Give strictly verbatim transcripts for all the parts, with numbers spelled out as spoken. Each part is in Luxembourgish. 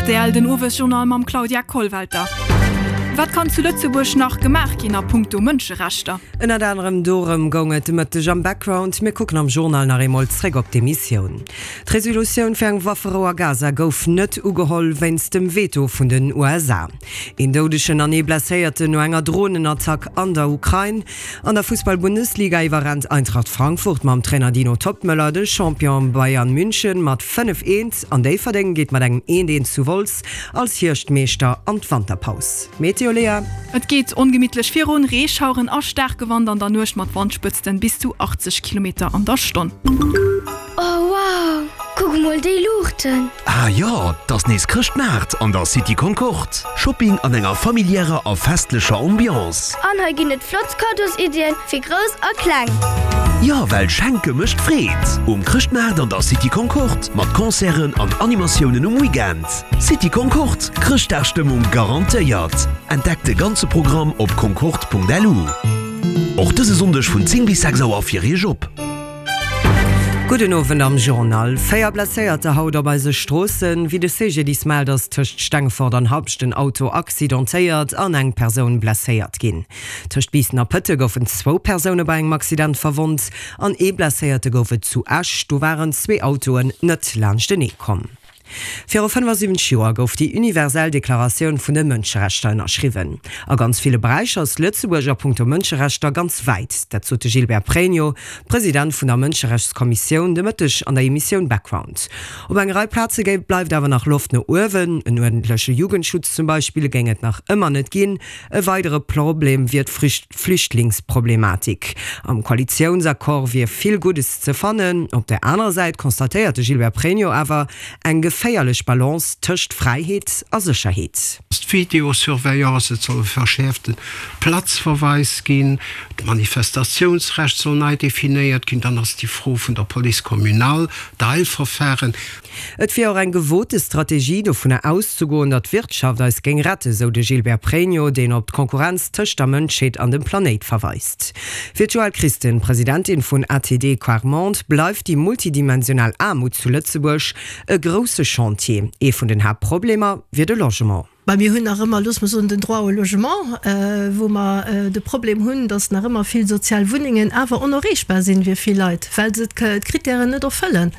Rtl, den Owesjournal mam Claudia Kollwelter. Wat kann zu Lëtzebuerg nach gemaach ginn a punkto Mënscherechter? Ënnert anerem dorëm goung et de Mëtteg am Background. Mir kucken am Journal nach eemol zréck op d'Emissioun. D'Resolutioun fir eng Wafferou a Gaza gouf net ugeholl wéinst dem Veto vun den U S A. Een Doudegen an ee Blesséierten no enger Dronenattack an der Ukrain. An der Fussball-Bundesliga iwwerrennt Eintracht Frankfurt mam Trainer Dino Toppmöller de Champion Bayern München mat fënnef eent an Déifferdeng geet mat engem eent eent zu Wolz als Hierschtmeeschter an d'Wanterpaus. Meteo Léa. Et geet ongemittlech virun, Reeschaueren a staarke Wand an der Nuecht mat Wandspëtzten bis zu achtzeg Kilometer an der Stonn. Oh wow, kuck mol déi Luuchten! Ah jo, 't ass nees Chrëschtmaart an der City Concorde. Shopping an enger familiärer a festlecher Ambiance. An hei ginn et flott Kaddosiddien fir Grouss a Kleng. Jo, well schenke mécht Freed! Um Chrëschtmaart an der City Concorde mat Concerten an Animatiounen um Weekend. City Concorde, Chrëschtdagstëmmung garantéiert! Entdeckt de ganze Programm op concorde punkt lu. Och dëse Sonndeg vun zéng bis sechs Auer fir Iech op. Gudden Owend am Journal. Véier Blesséierter haut op eise Stroossen. Wéi de C G D I S mellt, ass tëscht Stengefort an Habscht en Auto accidentéiert an eng Persoun blesséiert ginn. Tëscht Biissen a Pëtte goufen zwou Persoune bei engem Accident verwonnt an ee Blesséierte gouf et zu Esch. Do waren zwee Autoen net laanschtenee komm. Viru fënnefasiwwenzeg Joer gouf déi universell Deklaratioun vun de Mënscherechter ënnerschriwwen. A ganz ville Beräicher ass Lëtzebuerg a punkto Mënscherechter ganz wäit. Dat sot de Gilbert Pregno, President vun der Mënscherechtskommissioun, de Mëtteg an der Emissioun Background. Op eng Rei Plaze bleift awer nach Loft no uewen. En uerdentleche Jugendschutz zum Beispill géing et nach ëmmer net ginn. E weidere Problem wier d'Flüchtlingsproblematik. Am Koalitiounsaccord wier vill Guddes ze fannen. Op der anerer Säit constatéiert de Gilbert Pregno awer eng geféierlech Balance tëscht Fräiheet a Sécherheet. D'Videosurveillance, et soll e verschäerfte Platzverweis ginn, d'Manifestatiounsrecht soll nei definéiert ginn, dann ass déi Fro vun der Police communale, d'Eilverfahren. Et wier och eng gewote Strategie, dovunner auszegoen, datt d'Wirtschaft eis géing retten, sou de Gilbert Pregno, deen op d'Konkurrenz tëscht der Mënschheet an dem Planéit verweist. Fir d'Joëlle Christen, Presidentin vun A T D Quart Monde, bleift déi multidimensional Aarmut zu Lëtzebuerg e grousse Chantier. Ee vun den Haaptproblemer wier de Logement. Bah, mir hunn nach ëmmer, looss mer soen, den Droit au logement, wou mer de Problem hunn, dass nach ëmmer vill sozial Wunnengen awer onerreechbar sinn fir vill Leit, well se d'Kritären net erfëllen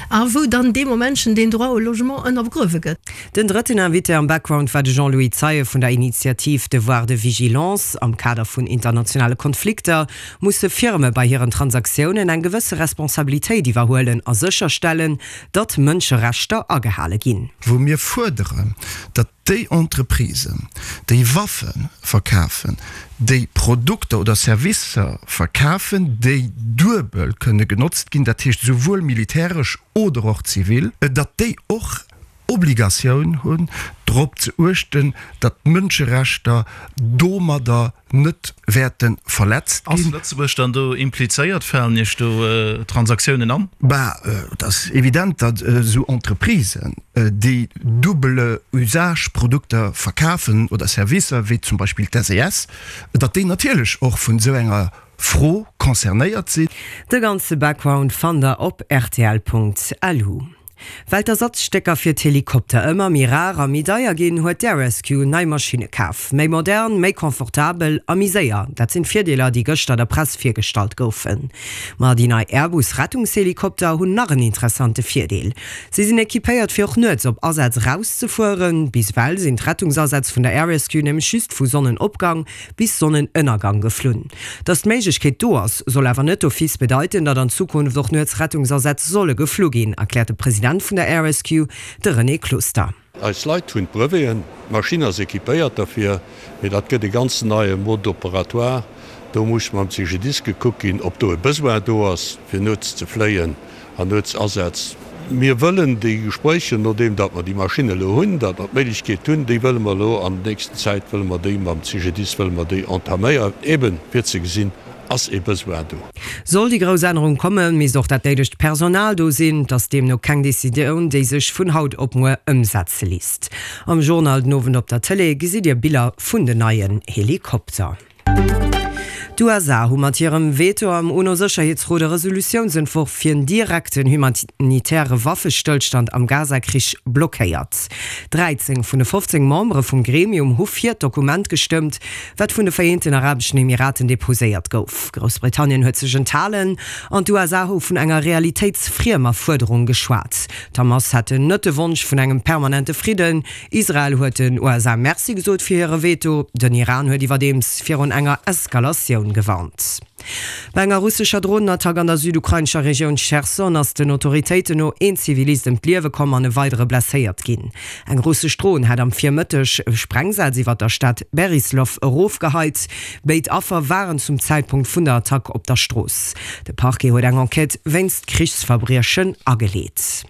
a wou dann dee Moment schon den Droit au logement ënnergruewe gëtt. Den drëtten Invité am Background war de Jean-Louis Zeie vun der Initiativ Devoir de Vigilance. Am Kader vun internationale Konflikter musse Firme bei hiren Transaktiounen eng gewësse Responsabilitéit iwwerhuelen a sécherstellen, datt Mënscherechter agehale ginn. Wou mir fuerderen, datt déi Entreprisen, déi Waffen verkafen, déi Produkter oder Servicer verkafen, déi duebel kënne genotzt ginn, dat heescht souwuel militäresch oder och zivil, datt déi och Obligatioun hunn, drop ze uechten, datt d'Mënscherechter domadder net wäerte verletzt Ass ginn. Lëtzebuerg dann do implizéiert? Falen Iech do Transaktiounen an? Bah, et ass evident, datt esou Entreprisen, déi double usage Produkter verkafen oder Servicer, wéi zum Beispill d'S E S, datt déi natierlech och vun esou enger Fro concernéiert sinn. De ganze Background fannt der op rtl punkt lu. Well d'Ersatzstécker fir d'Helikopter ëmmer méi rar a méi deier ginn, huet d'Air Rescue nei Maschinne kaf. Méi modern, méi confortabel a méi séier, dat sinn d'Virdeeler, déi gëschter der Press virgestallt goufen. Ma déi nei Airbus-Rettungshelikopter hunn nach en interessante Virdeel. Si sinn equipéiert, fir och nuets op Asätz erauszefueren. Bis ewell sinn d'Rettungsasätz vun der Air Rescue nämlech just vu Sonnenopgang bis Sonnenënnergang geflunn. Datt d'Méiglechkeet do ass, soll awer net d'office bedeiten, datt an Zukunft och nuets Rettungsasätz solle geflu ginn, erkläert de President vun der Air Rescue, de René Closter. Eis Leit hunn d'Breveten, d'Maschinn ass equipéiert dofir, mee dat gëtt e ganz neie Mode opératoire. Do muss mam C G D I S gekuckt ginn, ob do e Besoin do ass, fir nuets ze fléien an nuets Asätz. Mir wëllen déi Gespréicher, nodeem datt mer déi Maschinn elo hunn, datt mer d'Méiglechkeet hunn, déi wëlle mer elo an der nächsten Zäit, wëlle mer déi mam C G D I S, wëlle mer déi entaméieren, eben fir ze gesinn, ass e Besoin do. Soll déi grouss Ännerung kommen, misst och dat néidegt Personal do sinn. Et ass deemno keng Decisioun, déi sech vun haut op muer ëmsetze léisst. Am Journal den Owend op der Tëlee gesitt Dir Biller vun den neien Helikopter. D'USA hu mat hirem Veto am UNO-Sécherheetsrot e Resolutiounsentworf fir en direkten humanitäre Waffestëllstand am Gaza-Krich blockéiert. Dräizéng vun de fofzéng Membere vum Gremium hu fir d'Dokument gestëmmt, wat vun de Vereenten Arabeschen Emiraten deposéiert gouf. Groussbritannien huet sech enthalen an d'USA hu vun enger realitéitsfriemer Fuerderung geschwat. D'Hamas hätten net de Wonsch vun engem permanente Fridden. Israel huet den USA Merci gesot fir hire Veto. Den Iran huet iwwerdeems virun enger Eskalatioun gewarnt. Bei enger russescher Dronenattack an der südukrainescher Regioun Cherson ass den Autoritéiten no een Zivilist ëm d'Liewe komm an e weidere blesséiert ginn. Eng russesch Dron hätt am Virmëtteg Sprengsätz iwwer der Stad Beryslaw erofgeheit. Béid Affer waren zum Zäitpunkt vun der Attack op der Strooss. De Parquet huet eng Enquête wéinst Krichsverbriechen ageleet.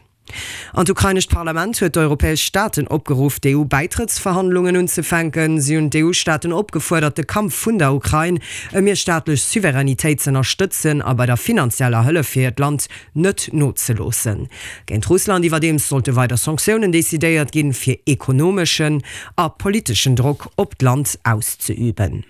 An d'ukrainescht Parlament huet d'europäesch Staaten opgeruff, d'EU-Bäitrëttsverhandlungen unzefänken. Si hunn d'EU-Staaten opgefuerdert, de Kampf vun der Ukrain ëm hir staatlech Souveränitéit z'ënnerstëtzen a bei der finanzieller Hëllef fir hiert Land net nozeloossen. Géint Russland iwwerdeems sollte weider Sanktiounen decidéiert ginn, fir ekonomeschen a politeschen Drock op d'Land auszeüben.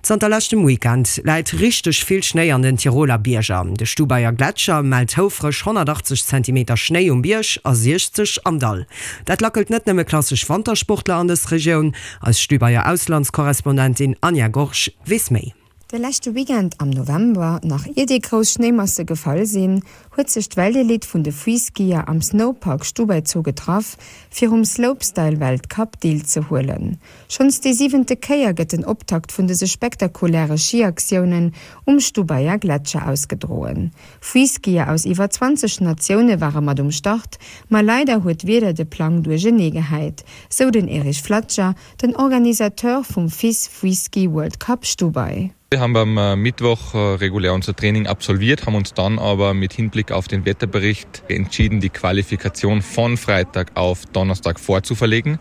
Zanter leschtem Weekend läit richteg vill Schnéi an den Tiroler Bierger. De Stubaier Gletscher mellt houfreg honnertachtzeg Zentimeter Schnéi um Bierg a siechzeg am Dall. Dat lackelt net nëmme klassesch Wantersportler an dës Regioun. Eis Stubaier Auslandskorrespondentin Anja Gorge weess méi. De leschte Weekend am November, nach ier déi grouss Schnéimasse gefall sinn, huet sech d'Weltelite vun de Freeskier am Snowpark Stubai-Zoo getraff, fir um Slopestyle-Weltcup deelzehuelen. Schonns déi siwente Kéier gëtt den Optakt vun dëse spektakuläre Schiaktiounen um Stubaier Gletscher ausgedroen. Freeskier aus iwwer zwanzeg Natioune ware mat um Start, ma leider huet d'Wieder de Plang duerchenee gehäit, sou den Erich Flatscher, den Organisateur vum FIS Freeski World Cup Stubai. Wir haben am äh, Mittwoch äh, regulär unser Training absolviert, haben uns dann aber mit Hinblick auf den Wetterbericht entschieden, die Qualifikation von Freitag auf Donnerstag vorzuverlegen.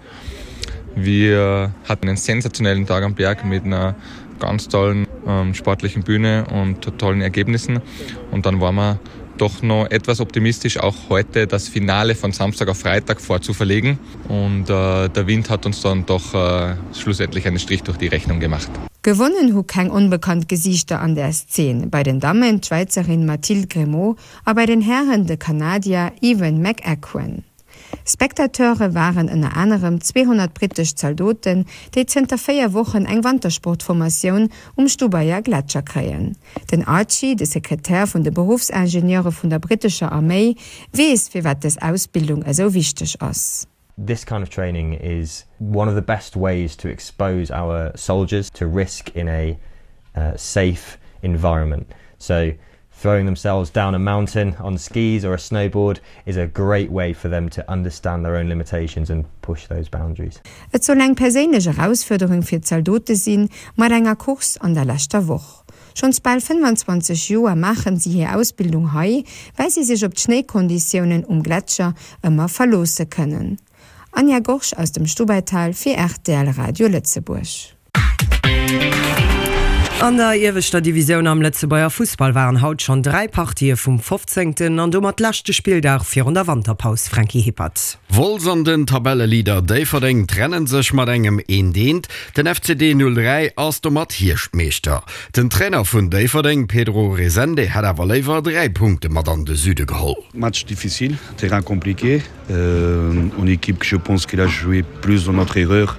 Wir hatten einen sensationellen Tag am Berg mit einer ganz tollen ähm, sportlichen Bühne und tollen Ergebnissen. Und dann waren wir doch noch etwas optimistisch, auch heute das Finale von Samstag auf Freitag vorzuverlegen. Und äh, der Wind hat uns dann doch äh, schlussendlich einen Strich durch die Rechnung gemacht. Gewonnen hu keng onbekannt Gesiichter an der Szene. Bei den Dammen d'Schwäizerin Mathilde Gremaud a bei den Hären de Kanadier Evan McEachran. Spectateure waren ënner anerem zweehonnert brittesch Zaldoten, déi zënter véier Wochen eng Wantersportformatioun um Stubaier Gletscher kréien. Den Archie, de Sekretär vun de Beruffsingenieure vun der brittescher Arméi, weess firwat dës Ausbildung esou wichteg ass. This kind of training is one of the best ways to expose our soldiers to risk in a safe environment. So throwing themselves down a mountain on skis or a snowboard is a great way for them to understand their own limitations and push those boundaries. Et soll eng perséinlech Erausfuerderung fir d'Zaldote sinn, mat enger Course an der leschter Woch. Schonns bal fënnwanzwanzeg Joer maachen si hir Ausbildung hei, well si sech op d'Schnéikonditiounen um Gletscher ëmmer verloosse kënnen. Anja Gorge aus dem Stubaital fir rtl Radio Lëtzebuerg. An der ieweschter Divisioun am Lëtzebuerger Fussball waren haut schonn dräi Partië vum fofzéngten an domat leschte Spilldag virun der Wanterpaus, Franky Hippert. Wolz an den Tabelleleader Déifferdeng trennen sech mat engem Eent Eent. Den F C D null dräi ass domat Hierschtmeeschter. Den Trainer vun Déifferdeng, Pedro Resende, hätt awer léiwer dräi Punkte mat an de Süde geholl. Match difficile, terrain compliqué, une équipe que je pense qu'il a joué plus dans notre erreur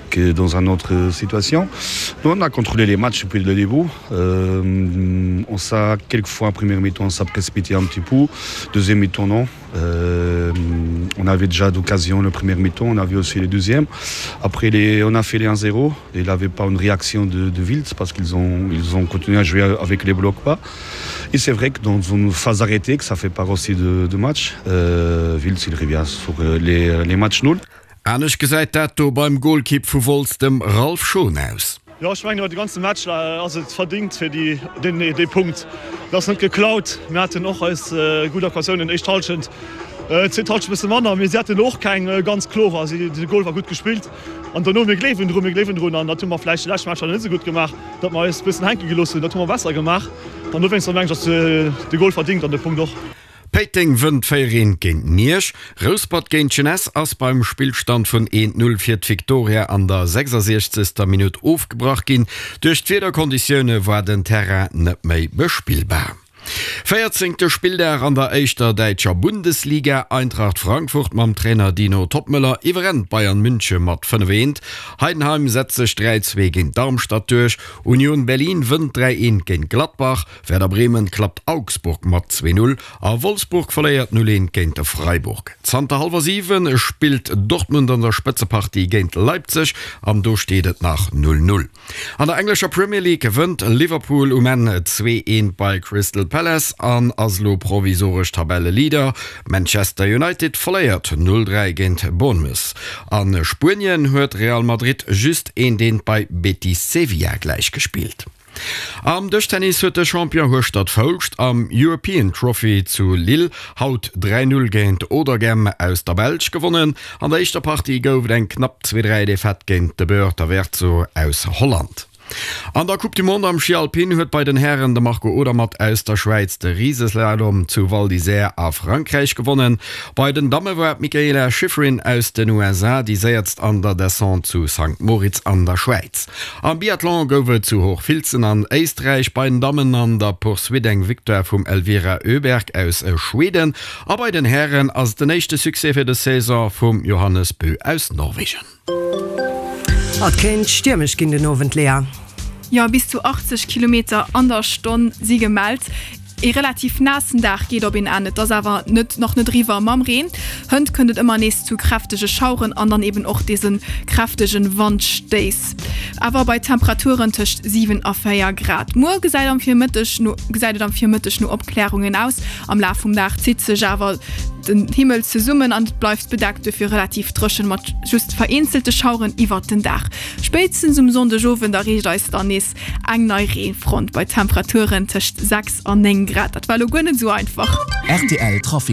que dans un autre situation. Nous on a contrôlé les matchs depuis le début. Euh, on s'est quelquefois première mi-temps on s'est précipité un petit peu, deuxième mi-temps non. Euh, on avait déjà d'occasion le premier mi-temps, on avait aussi les deuxièmes. Après les, on a fait les un zéro, il n'avait pas une réaction de, de Wiltz parce qu'ils ont, ils ont continué à jouer avec les blocs bas. Et c'est vrai que dans une phase arrêtée, que ça fait part aussi de, de match, euh, Wiltz il revient sur les, les matchs nuls. Anescht gesäit dat do beim Golkipp vu Wolz, dem Ralph Schon aus. Jo, ech mengen iwwer de ganze Match ass et verdingt fir déi dee Punkt. Et ass net geklaut. Mir haten och eis gutt Occasiounen, éischt Hallschent, zweet Hallschent e bësse manner, mee si haten och keng ganz klorer. De Goal war gutt gespillt an dono, mir gleewen drun, mir gleewen drun an dat hu mer vläicht déi lescht Matcher net esou gutt gemaach, datt mer eis e bëssen hänke gelooss hunn. Dat hu mer besser gemaach an dowéinster mengen ech, ass de Goal verdingt an de Punkt och. Péiteng wënnt véier eent géint Miersch. Rouspert géint Jeunesse ass beim Spillstand vun eent Null fir d'Victoria an der sechsasiechzegster Minutt ofgebrach ginn. Duerch d'Wiederkonditioune war den Terrain net méi bespillbar. Véierzéngte Spilldag an der éischter däitscher Bundesliga, Eintracht Frankfurt mam Trainer Dino Toppmöller iwwerrennt Bayern Münche mat fënnef eent. Heidenheim setzt sech dräi zwee géint Darmstadt duerch, Union Berlin wënnt dräi eent géint Gladbach, Werder Bremen klappt Augsburg mat zwee null a Wolfsburg verléiert null eent géint Freiburg. Zanter hallwer siwe spillt Dortmund an der Spëtzepartie géint Leipzig an do steet et nach null null. An der englescher Premier League wënnt Liverpool um Enn zwee eent bei Crystal Palace an ass elo provisoresch Tabelleleader. Manchester United verléiert null dräi géint Bournemouth. A Spuenien huet Real Madrid just eent eent bei Betis Sevilla gläichgespillt. Am Dëschtennis huet de Champion Hueschtert Foulscht am European Trophy zu Lille haut dräi Null géint Auderghem aus der Belsch gewonnen. An der éischter Partie gouf et eng knapp zwee dräi Defaite géint de Beur Taverzo aus Holland. An der Coupe du Monde am Schi Alpin huet bei den Hären de Marco Odermatt aus der Schwäiz de Riseslalom zu Val d'Isère a Frankräich gewonnen. Bei den Damme war d'Mikaela Shiffrin aus den U S A déi séierst an der Descente zu Sankt Moritz an der Schwäiz. Am Biathlon gouf et zu Hochfilzen an Éisträich bei den Dammen an der Poursuite eng Victoire vum Elvira Öberg aus Schweden a bei den Hären ass et den éischte Succès fir des Saison vum Johannes Bö aus Norwegen. Et kéint stiermesch ginn den Owend, Léa. Jo, bis zu achtzeg Kilometer an der Stonn si gemellt. Ee relativ naassen Dag geet op een Enn, et ass awer net nach net eriwwer mam Reen. Hënt kënnt et ëmmer nees zu kräftege Schaueren an dann eben och dëse kräftege Wandstéiss, awer bei Temperaturen tëscht siwen a véier Grad. Muer gesäit am Virmëtteg no gesäit et am Virmëtteg no Opklärungen aus, am Laf vum Dag zitt sech awer den Himmel zesummen an et bleift bedeckt, dofir relativ dréchen mat just vereenzelte Schaueren iwwert den Dag. Spéitstens um Sonndegowend erreecht eis dann nees eng nei Reefront bei Temperaturen tëscht sechs an néng Grad. Dat war elo guer net esou einfach. Rtl Trafic.